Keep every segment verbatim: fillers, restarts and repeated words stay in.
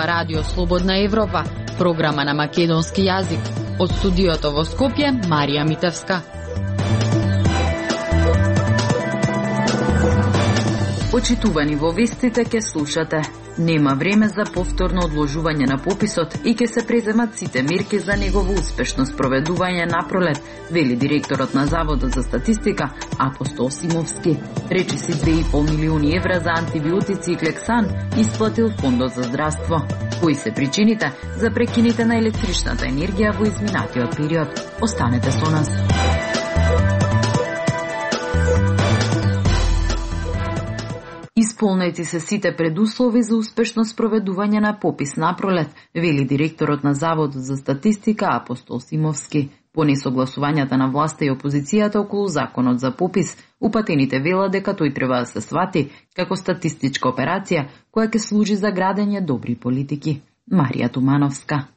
зборува Радио Слободна Европа, програма на македонски јазик. Од студиото во Скопје, Марија Митевска. Очитувани во вестите ке слушате. Нема време за повторно одложување на пописот и ке се преземат сите мерки за негово успешно спроведување напролет, вели директорот на Заводот за статистика Апостол Симовски. Речиси две и пол милиони евра за антибиотици и клексан исплатил Фондот за здравство. Кои се причините за прекините на електричната енергија во изминатиот период? Останете со нас. Исполнети се сите предуслови за успешно спроведување на попис напролет, вели директорот на Заводот за статистика Апостол Симовски. По несогласувањата на власта и опозицијата околу законот за попис, упатените велат дека тој треба да се свати како статистичка операција која ќе служи за градење добри политики. Марија Тумановска.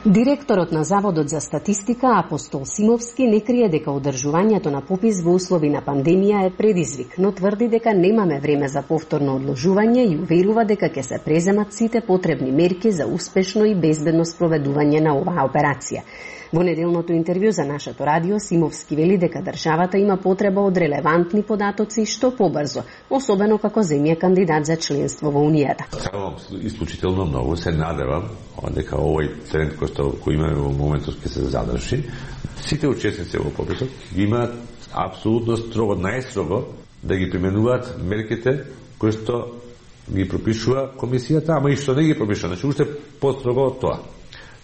Директорот на Заводот за статистика Апостол Симовски не крие дека одржувањето на попис во услови на пандемија е предизвик, но тврди дека немаме време за повторно одложување и уверува дека ќе се преземат сите потребни мерки за успешно и безбедно спроведување на оваа операција. Во неделното интервју за нашето радио Симовски вели дека државата има потреба од релевантни податоци што побрзо, особено како земја кандидат за членство во Унијата. Сакам исклучително многу, се надевам дека овој тренд кој што кој имаме во моментот ќе се задржи. Сите учесници во пописот имаат апсолутно строго, најстрого да ги применуваат мерките кои што ги пропишува комисијата, ама и што не ги пропишува, значи уште построго од тоа.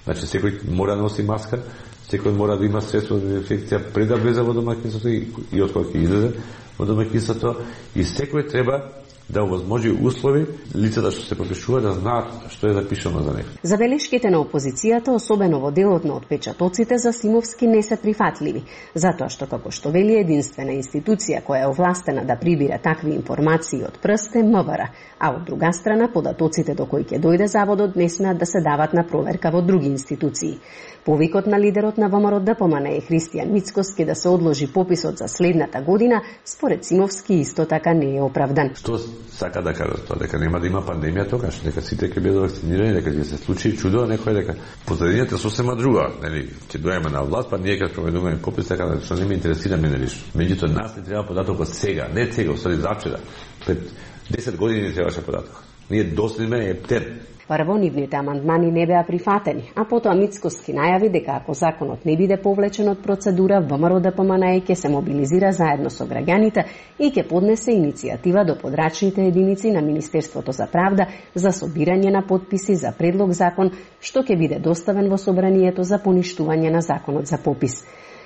Значи, секој мора да носи маска, секој мора да има средство за дезинфекција пред да влезе во домаќинството и, и од кога ќе излезе во домаќинството, и секој треба да овозможи услови лицата што се пропишува да знаат што е запишано за нив. Забелешките на опозицијата, особено во делот на отпечатоците, за Симовски не се прифатливи, затоа што како што вели единствена институција која е овластена да прибира такви информации од прст е МВР, а од друга страна податоците до кои ќе дојде заводот не смеат да се дават на проверка во други институции. Повикот на лидерот на ВМРО ДПМН е Христијан Мицкоски да се одложи пописот за следната година, според Симовски исто така не е оправдан. Што сака да кажа тоа, дека нема да има пандемија тогаш, дека сите ќе бидат вакцинирани, дека ќе се случи чудо, некој дека позадината сосема друга, нели, ќе дојдеме на власт, па ние ќе спроведуваме попис, така да што не ме интересира мене лично. Меѓутоа нас не треба податокот сега, не сега, усади завчера. Пред десет години не требаше податок. Ние доследме ептен. Прво, нивните амандмани не беа прифатени, а потоа Мицкоски најави дека ако законот не биде повлечен од процедура, ВМРО ДПМН ќе се мобилизира заедно со граѓаните и ќе поднесе иницијатива до подрачните единици на Министерството за правда за собирање на потписи за предлог закон што ќе биде доставен во собранието за поништување на законот за попис.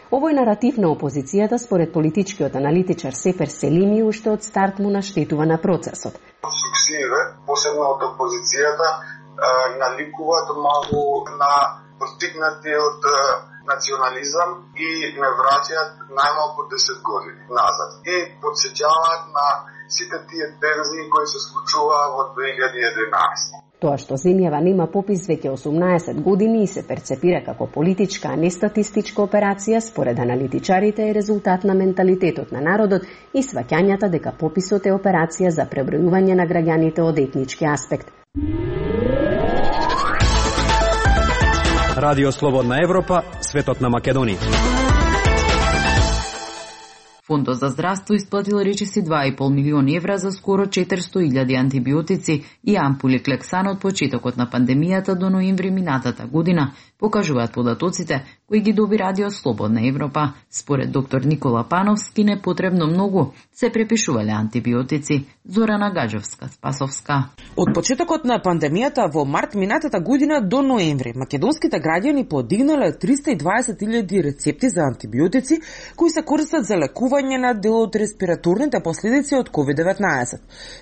Овој наратив на опозицијата, според политичкиот аналитичар Сепер Селими, уште од старт му наштетува на процесот. Субсидиите, посебно од опозицијата, наликуваат малку на постигнатиот национализам и не враќаат најмалку десет години назад. И подсеќаваат на сите тие тензии кои се случуваа во две илјади и единаесета. Тоа што земјава нема попис веќе осумнаесет години и се перцепира како политичка, а не статистичка операција, според аналитичарите е резултат на менталитетот на народот и сваќањата дека пописот е операција за пребројување на граѓаните од етнички аспект. Радио Слободна Европа, светот на Македонија. Фондот за здравство исплатил речиси два и пол милиони евра за скоро четиристо илјади антибиотици и ампули клексан од почетокот на пандемијата до ноември минатата година, покажуваат податоците кои ги доби Радио Слободна Европа. Според доктор Никола Пановски не потребно многу се препишувале антибиотици. Зорана Гаджовска-Спасовска. Од почетокот на пандемијата во март минатата година до ноември, македонските граѓани подигнале триста и дваесет илјади рецепти за антибиотици кои се користат за лекување на дел од респираторните последици од ковид деветнаесет.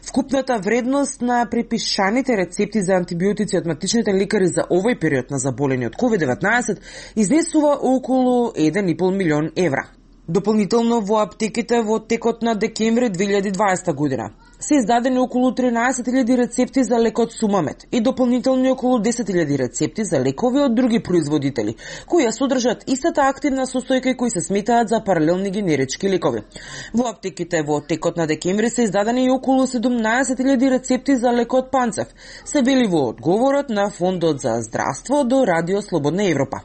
Вкупната вредност на препишаните рецепти за антибиотици од матичните лекари за овој период на заболени од ковид деветнаесет изнесува околу еден и пол милион евра. Дополнително во аптеките во текот на декември две илјади и дваесета година се издадени околу тринаесет илјади рецепти за лекот Сумамет и дополнителни околу десет илјади рецепти за лекови од други производители, кои ја содржат истата активна состојка и кои се сметаат за паралелни генерички лекови. Во аптеките во текот на декември се издадени и околу седумнаесет илјади рецепти за лекот Панцев, се вели во одговорот на Фондот за здравство до Радио Слободна Европа.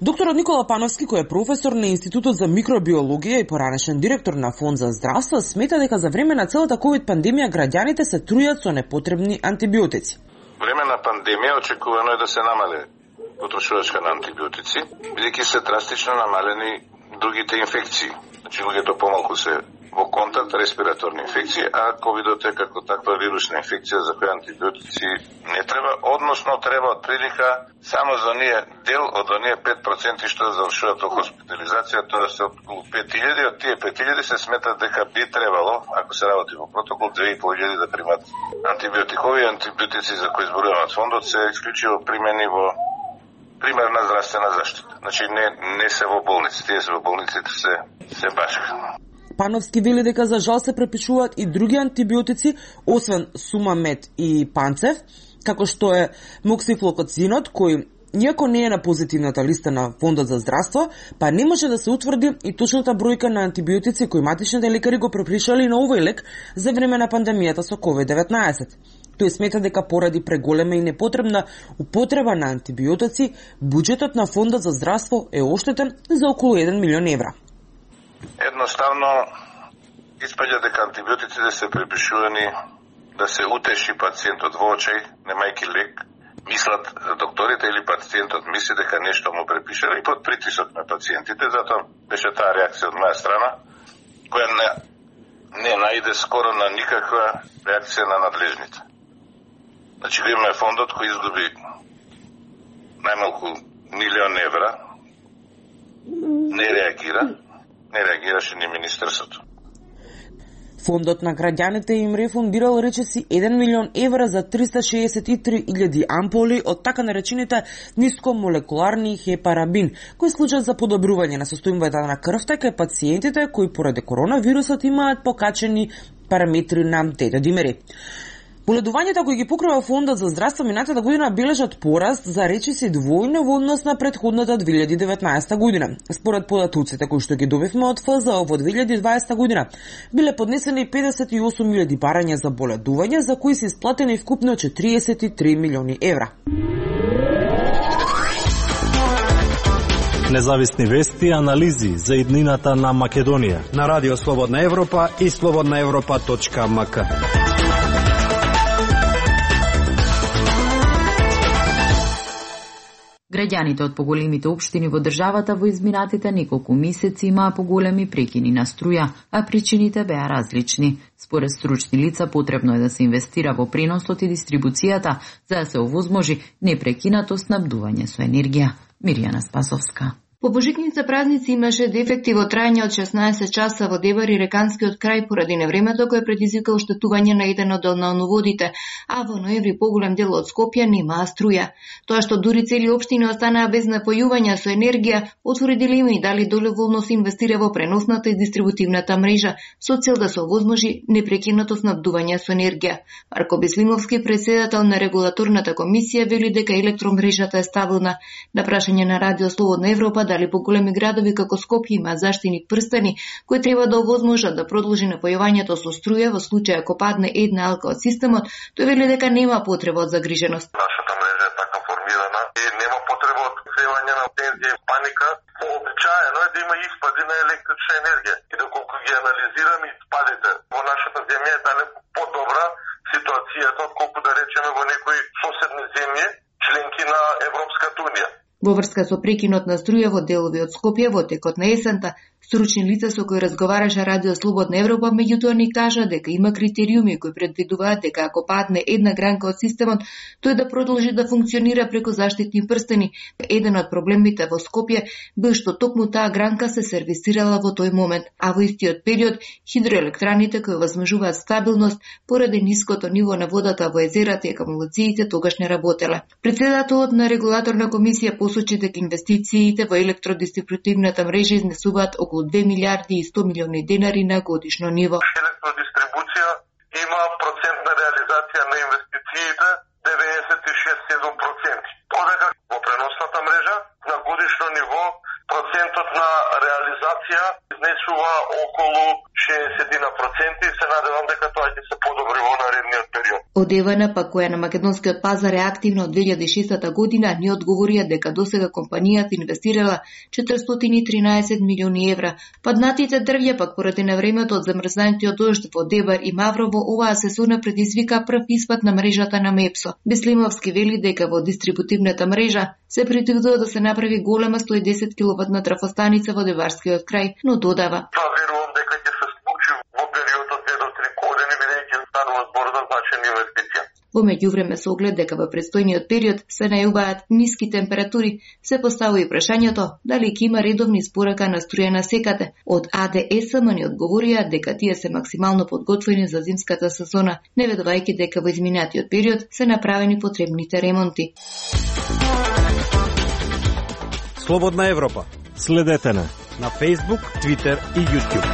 Докторот Никола Пановски, кој е професор на Институтот за микробиологија и поранешен директор на Фонд за здравство, смета дека за време на целата ковид пандемија граѓаните се трујат со непотребни антибиотици. Време на пандемија очекувано е да се намале потрошувачка на антибиотици, бидејќи се драстично намалени другите инфекции. Значи луѓето помалку се во контакт респираторни инфекции, а ковидот е како таква вирусна инфекција за која антибиотици не треба, односно треба од прилика само за ние дел од оние пет проценти што завршуваат во хоспитализација, тоа се околу пет илјади, од тие пет илјади се сметат дека би требало, ако се работи во протокол, две и пол илјади да примат антибиотикови. Антибиотици за кои зборуваме од фондот се исклучиво примени во примерна здравствена заштита. Значи не не се во болници, тие се во болниците се се башка. Пановски вели дека за жал се препишуваат и други антибиотици, освен Сумамет и Панцев, како што е моксифлокоцинот, кој иако не е на позитивната листа на Фондот за здравство, па не може да се утврди и точната бројка на антибиотици кои матичните лекари го препишале на овој лек за време на пандемијата со ковид деветнаесет. Тој смета дека поради преголема и непотребна употреба на антибиотици, буџетот на Фондот за здравство е оштетен за околу еден милион евра. Едноставно испаѓа дека антибиотиците се препишувани да се утеши пациентот во очај, немајки лек. Мислат докторите или пациентот мисли дека нешто му препишале и под притисок на пациентите, затоа беше таа реакција од моја страна, која не, не најде скоро на никаква реакција на надлежните. Значи имаме фондот кој изгуби најмалку милион евра, не реагира, не реагираше ни министерството. Фондот на граѓаните им рефундирал речиси еден милион евра за триста шеесет и три илјади ампули од така наречените нискомолекуларни хепарабин, кои служат за подобрување на состојбата на крвта кај пациентите кои поради коронавирусот имаат покачени параметри на тетодимери. Боледувањата кои ги покрива Фондот за здравство минатата година бележат пораст за речиси двојно во однос на претходната две илјади и деветнаесета година. Според податоците кои што ги добивме од Ф З О во две илјади и дваесета година, биле поднесени педесет и осум илјади барања за боледување, за кои се исплатени вкупно четириесет и три милиони евра. Независни вести и анализи за иднината на Македонија на Радио Слободна Европа и слободна европа точка м к. Граѓаните од поголемите општини во државата во изминатите неколку месеци имаа поголеми прекини на струја, а причините беа различни. Според стручни лица потребно е да се инвестира во преносот и дистрибуцијата за да се овозможи непрекинато снабдување со енергија. Мирјана Спасовска. По божикните празници имаше дефекти во трајање од шеснаесет часа во Дебар и Реканскиот крај поради невремето кој предизвика оштетување на еден од долноводите, а во ноември поголем дел од Скопје немаа струја. Тоа што дури цели општини останаа без напојување со енергија, отвори дилеми дали доброволно се инвестира во преносната и дистрибутивната мрежа со цел да се овозможи непрекинато снабдување со енергија. Марко Беслимовски, председател на регулаторната комисија, вели дека електромрежата е стабилна. На прашање на Радио Слободна Европа дали поголеми градови како Скопје има заштитни прстени кои треба да овозможат да продолжи напојувањето со струја во случај ако падне една алка од системот, тој вели дека нема потреба од загриженост. Нашата мрежа е така формирана и нема потреба од севање на тензија и паника. Вообичаено е да има испади на електрична енергија и доколку ги анализираме испадите во нашата земја е далеку подобра ситуацијата отколку да речеме во некои соседни земји членки на Европската унија. Во врска со прекинот на струја во делови од Скопје во текот на есента, стручни лица со кои разговараше Радио Слободна Европа меѓутоа ни кажа дека има критериуми кои предвидуваат дека ако падне една гранка од системот, тој да продолжи да функционира преку заштитни прстени. Еден од проблемите во Скопје бил што токму таа гранка се сервисирала во тој момент, а во истиот период хидроелектраните кои возможуваат стабилност поради ниското ниво на водата во езерата и акумулациите тогаш не работеле. Председателот на регулаторна комисија посочи дека инвестициите во електродистрибутивната мрежа изнесуваат околу две милиарди и сто милиони денари на годишно ниво. Електродистрибуција и има процент на реализација на инвестициите деветдесет и шест целу седум проценти. Додека во преносната мрежа на годишно ниво процентот на реализација изнесува околу шеесет проценти и се надевам дека тоа ќе се подобри во наредниот период. Од ЕВН, па која на македонскиот пазар е активна од две илјади и шеста година, ни одговорија дека досега компанијата инвестирала четиристотини и тринаесет милиони евра. Паднатите дрвја пак поради навремето од замрзнатиот дожд во Дебар и Маврово, оваа сезона предизвика прв испад на мрежата на Мепсо. Беслимовски вели дека во дистрибутивната мрежа се предвидува да се направи голема сто и десет киловатна трафостаница во Деварскиот крај, но додава: Тоа верувам дека ќе се случи во периодот две до три години, бидејќи станува збор за значајни инвестиции. Во меѓувреме, со оглед дека во предстојниот период се најубаат ниски температури, се поставува и прашањето дали ќе има редовни испорака на струја на секаде. Од А Д Е С М ни одговорија дека тие се максимално подготвени за зимската сезона, не ведувајќи дека во изминатиот период се направени потребните ремонти. Слободна Европа. Следете на на Facebook, Twitter и YouTube.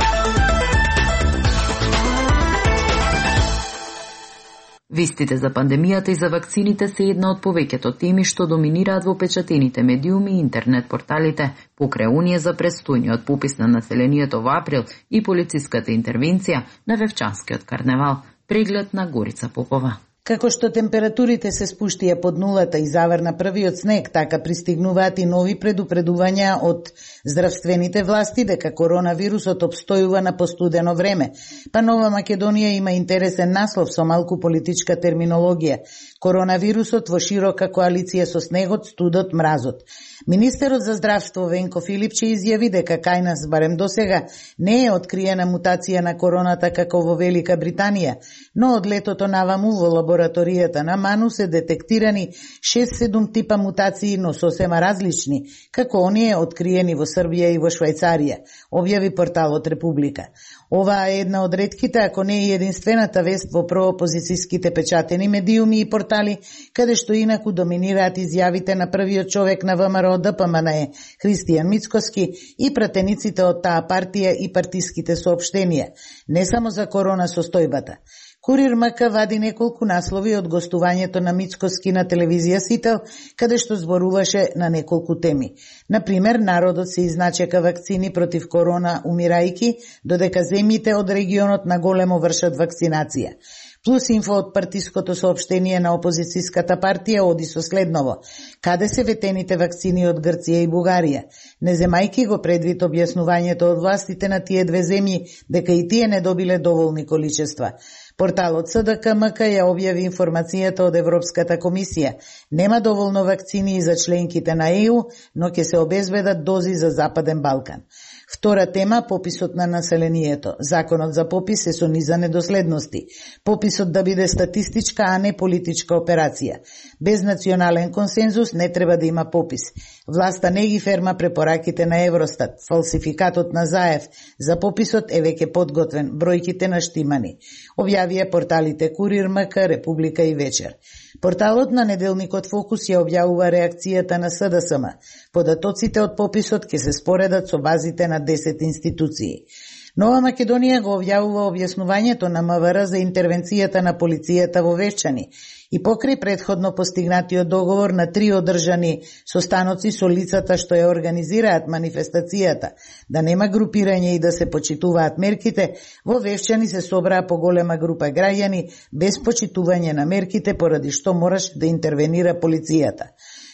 Вестите за пандемијата и за вакцините се една од повеќето теми што доминираат во печатените медиуми и интернет порталите. Покрај оние за престојниот попис на населението во април и полициската интервенција на Вевчанскиот карневал. Преглед на Горица Попова. Како што температурите се спуштија под нулата и заврна првиот снег, така пристигнуваат и нови предупредувања од здравствените власти дека коронавирусот обстојува на постудено време. Па Нова Македонија има интересен наслов со малку политичка терминологија. Коронавирусот во широка коалиција со снегот, студот, мразот. Министерот за здравство Венко Филипче изјави дека кај нас барем досега не е откриена мутација на короната како во Велика Британија, но од летото наваму во лабораторијата на Ману се детектирани шест-седум типа мутации, но сосема различни, како оние откриени во Србија и во Швајцарија, објави порталот Република. Оваа е една од ретките, ако не и единствената вест во проопозицијските печатени медиуми и портали, каде што инаку доминираат изјавите на првиот човек на ВМРО Д П М Н Е, Христијан Мицкоски, и пратениците од таа партија и партиските соопштенија, не само за корона состојбата. Курир М К вади неколку наслови од гостувањето на Мицкоски на телевизија Сител, каде што зборуваше на неколку теми. Например, народот се изначека вакцини против корона умирајки, додека земјите од регионот на големо вршат вакцинација. Плюс инфо од партиското соопштение на опозицијската партија оди со следново: каде се ветените вакцини од Грција и Бугарија, не земајки го предвид објаснувањето од властите на тие две земји дека и тие не добиле доволни количества. Порталот С Д К М К ја објави информацијата од Европската комисија. Нема доволно вакцини за членките на Е У, но ќе се обезбедат дози за Западен Балкан. Втора тема – пописот на населението. Законот за попис е со низа недоследности. Пописот да биде статистичка, а не политичка операција. Без национален консензус не треба да има попис. Власта не ги ферма препораките на Евростат. Фалсификатот на Заев за пописот е веќе подготвен, бројките наштимани. Објавија порталите Курир М К, Република и Вечер. Порталот на неделникот Фокус ја објавува реакцијата на С Д С М. Податоците од пописот ќе се споредат со базите на десет институции. Нова Македонија го објавува објаснувањето на М В Р за интервенцијата на полицијата во Вевчани и покрај предходно постигнатиот договор на три одржани состаноци со лицата што ја организираат манифестацијата, да нема групирање и да се почитуваат мерките, во Вевчани се собраа поголема група граѓани без почитување на мерките, поради што мораше да интервенира полицијата.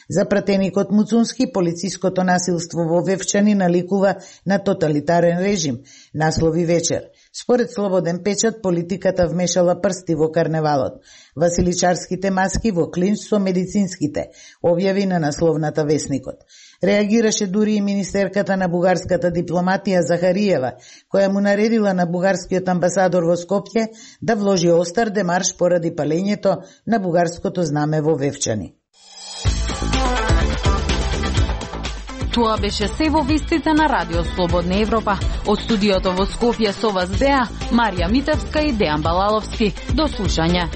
За пратеникот Муцунски, полициското насилство во Вевчани наликува на тоталитарен режим, наслови Вечер. Според Слободен печат, политиката вмешала прсти во карневалот. Василичарските маски во клинч со медицинските, објави на насловната Весникот. Реагираше дури и министерката на бугарската дипломатија Захариева, која му наредила на бугарскиот амбасадор во Скопје да вложи остар демарш поради палењето на бугарското знаме во Вевчани. Тоа беше се во вестите на Радио Слободна Европа. Од студиото во Скопје со вас беа Марија Митевска и Дејан Балаловски. До слушање.